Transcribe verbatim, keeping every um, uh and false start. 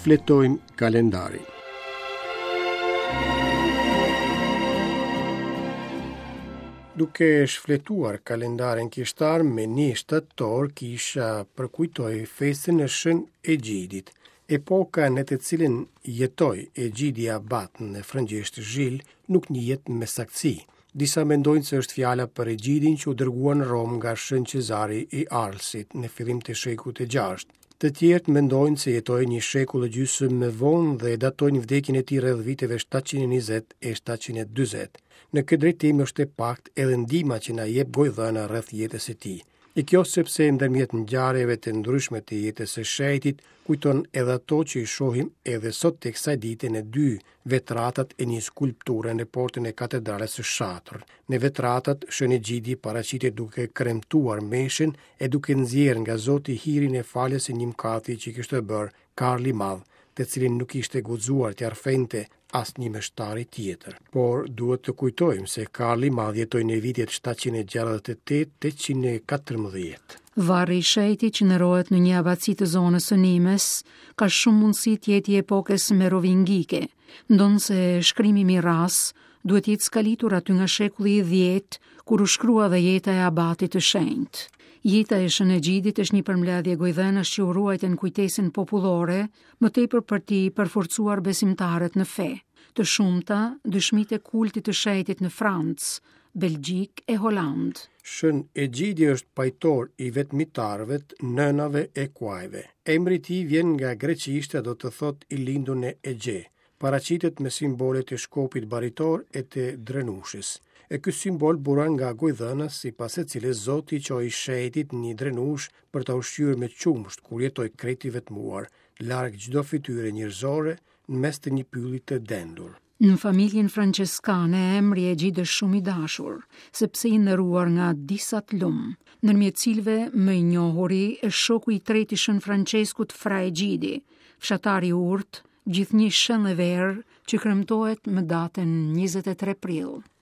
Shfletojmë kalendarin. Duke shfletuar kalendarin kishtar me një shtator kisha përkujtoi festën e Shën Egjidit. Epoka në të cilën jetoi Egjidi Abat në frëngjisht Zhil nuk njihet me saktësi. Disa mendojnë se është fjala për Egjidin që u dërgua në Romë nga Shën Cezari i Arlsit në fillim të shekullit të gjashtë. Të tjerët mendojnë se jetoi një shekull e gjysmë më vonë dhe datojnë vdekjen e tij rreth viteve shtatëqind e njëzet e shtatëqind e dyzet. Në këtë drejtim është e paktë edhe ndihma që na jep gojëdhëna rreth jetës së tij. E kjo sepse ndërmjet ngjarjeve të ndryshme të jetës së shenjtit kujton edhe ato që i shohim edhe sot të kësaj dite në dy vetratat e një skulpture në portën e katedrales së Shatër. Në vetratat Shën Egjidi paraqitet duke kremtuar meshën e duke nxjerrë nga Zoti hirin e faljes së një mëkati që kishte bërë Karli i Madh, të cilin nuk ishte guxuar t'ia rrëfente asnjë meshtari tjetër. Por duhet të kujtojmë se Karli i Madh jetoi në vitet shtatëqind e gjashtëdhjetë e tetë tetëqind e katërmbëdhjetë. Varri i shenjtit që ndërohet në një abaci të zonës së Nimes ka shumë mundësi të jetë i epokës merovingike, ndonëse shkrimi miras duhet të jetë skalitur aty nga shekulli i dhjetë, kur u shkrua dhe jeta e abatit të shenjtë. Jeta e Shën Egjidit është një përmbledhje gojëdhënash që u ruajtën kujtesën popullore, më tepër për t'i përforcuar besimtarët në fe. Të shumta, dëshmitë e kultit të shenjtit në Francë, Belgjik e Holandë. Shën Egjidi është pajtor i vetmitarëve, nënave e kuajve. Emri i tij vjen nga greqishtja, do të thotë i lindur në Egje. Paraqitet me simbolet e shkopit baritor e të drenushës. E ky simbol buron nga gojëdhëna sipas së cilës Zoti çoi shenjtit një drenush për ta ushqyer me qumësht kur jetoi krejt i vetmuar, larg çdo fytyre njerëzore, në mes të një pylli të dendur. Në familjen franceskane emri Egjid është shumë i dashur, sepse i nderuar nga disa të lumë, ndërmjet cilëve më i njohuri është shoku i tretë i Shën Franceskut Fra Egjidi, fshatari i urtë, gjithnjë shën dhe verë, që kremtohet më datën njëzet e tre prill.